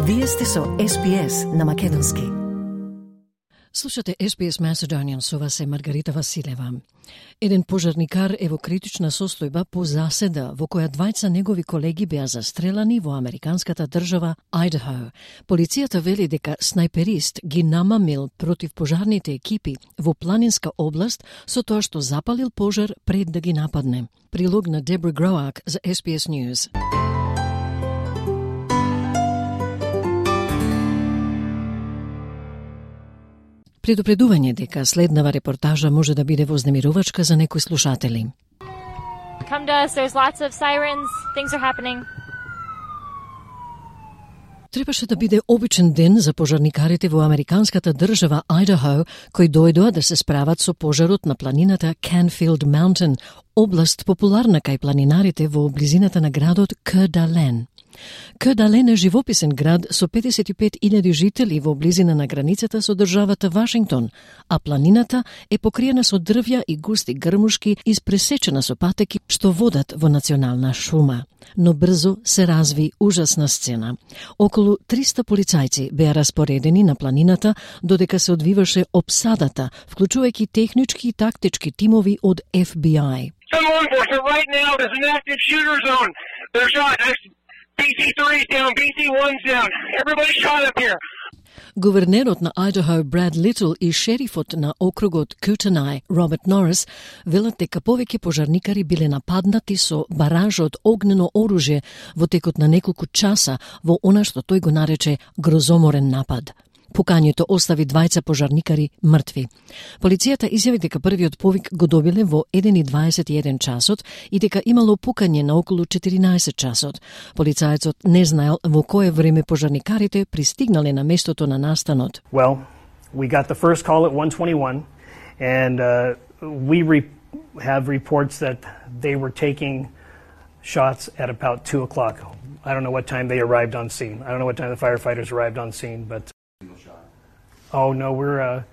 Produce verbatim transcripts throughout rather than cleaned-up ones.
Вие сте со Ес Би Ес на македонски. Слушате Ес Би Ес Macedonian, со вас е Маргарита Василева. Еден пожарникар е во критична состојба по заседа во која двајца негови колеги беа застрелани во американската држава Айдахо. Полицијата вели дека снајперист ги намамил против пожарните екипи во планинска област со тоа што запалил пожар пред да ги нападне. Прилог на Дебра Гроак за Ес Би Ес News. Предупредување дека следнава репортажа може да биде вознемирувачка за некои слушатели. Come to us, there's lots of sirens, things are happening. Требаше да биде обичен ден за пожарникарите во американската држава Айдахо, кои дојдоа да се справат со пожарот на планината Canfield Mountain, област популарна кај планинарите во близината на градот Coeur d'Alene. Coeur d'Alene е живописен град со педесет и пет илјади жители во близина на границата со државата Вашингтон, а планината е покриена со дрвја и густи грмушки, испресечена со патеки што водат во национална шума. Но брзо се разви ужасна сцена. Околу триста полицајци беа распоредени на планината додека се одвиваше опсадата, вклучувајќи технички и тактички тимови од Еф Би Ај. Right now, there's an active shooter zone. They're shot. Би Си three's down, Би Си one's down. Everybody's shot up here. Гувернерот на Айдахо Брад Литл и шерифот на округот Кутенај Роберт Норис велат дека повеќе пожарникари биле нападнати со баража од огнено оружје во текот на неколку часа во она што тој го нарече грозоморен напад. Пукањето остави двајца пожарникари мртви. Полицијата изјави дека првиот повик го добиле во еден и дваесет и еден часот и дека имало пукање на околу четиринаесет часот. Полицајецот не знаел во кое време пожарникарите пристигнале на местото на настанот. Well, we got the first call at one twenty-one and uh, we re- have reports that they were taking shots at about two o'clock. I don't know what time they arrived on scene. I don't know what time the firefighters arrived on scene, but Oh no, we're uh,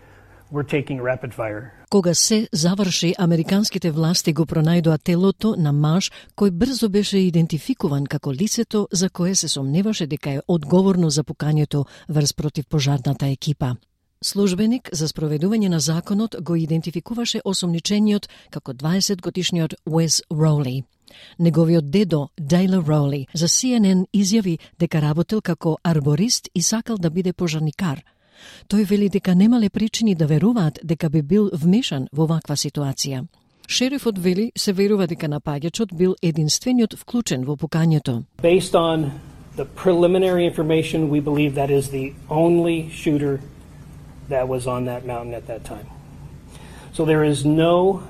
we're taking rapid fire. Кога се заврши, американските власти го пронајдоа телото на маж кој брзо беше идентификуван како лицето за кое се сомневаше дека е одговорно за пукањето врз против пожарната екипа. Службеник за спроведување на законот го идентификуваше осомничениот како дваесет годишниот Уес Роули. Неговиот дедо, Дејла Роули, за Си Ен Ен изјави дека работел како арборист и сакал да биде пожарникар. Тој вели дека немале причини да веруваат дека би бил вмешан во ваква ситуација. Шерифот вели се верува дека напаѓачот бил единствениот вклучен во пукањето. Based on the preliminary information, we believe that is the only shooter that was on that mountain at that time. So there is no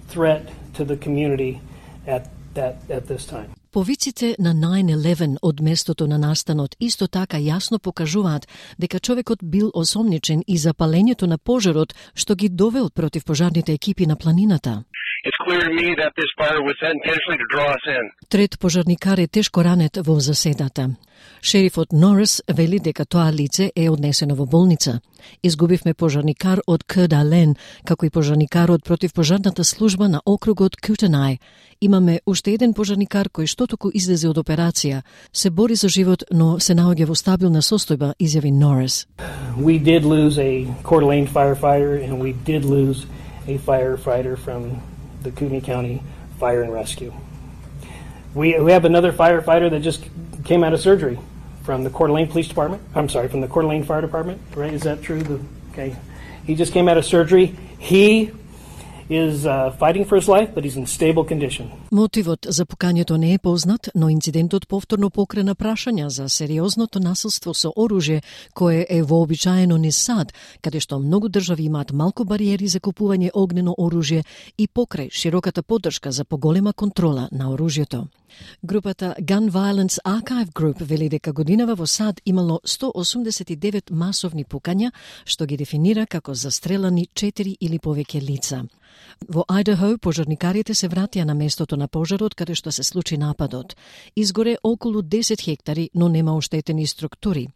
threat to the community at that at this time. Повиците на nine eleven од местото на настанот исто така јасно покажуваат дека човекот бил осомничен и запалењето на пожарот што ги довел против пожарните екипи на планината. It's clear to me that this fire was set intentionally to draw us in. Трет пожарникар е тешко ранет во заседата. Шерифот Норис вели дека тоа лице е однесено во болница. Изгубивме пожарникар од Coeur d'Alene, како и пожарникарот против пожарната служба на округот Кутенај. Имаме уште еден пожарникар кој што току излезе од операција. Се бори за живот, но се наоѓа во стабилна состојба, изјави Норис. We did lose a Coeur d'Alene firefighter and we did lose a firefighter from the Kootenai County Fire and Rescue. We, we have another firefighter that just came out of surgery from the Coeur d'Alene Police Department. I'm sorry, from the Coeur d'Alene Fire Department, right? Is that true? The, okay. He just came out of surgery. He is uh, fighting for his life, but he's in stable condition. Мотивот за пукањето не е познат, но инцидентот повторно покрена прашања за сериозното насилство со оружје кое е вообичаено низ САД, каде што многу држави имаат малку бариери за купување огнено оружје и покрај широката поддршка за поголема контрола на оружјето. Групата Gun Violence Archive Group вели дека годинава во САД имало сто осумдесет и девет масовни пукања, што ги дефинира како застрелани четири или повеќе лица. Во Айдахо пожарникарите се вратија на местото на пожарот каде што се случи нападот. Изгоре околу десет хектари, но нема оштетени структури.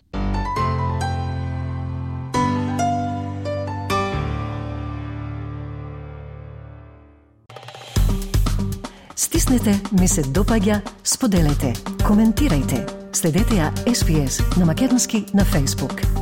Стиснете, ми се допаѓа, споделете, коментирајте. Следете ја Ес Би Ес на македонски на Facebook.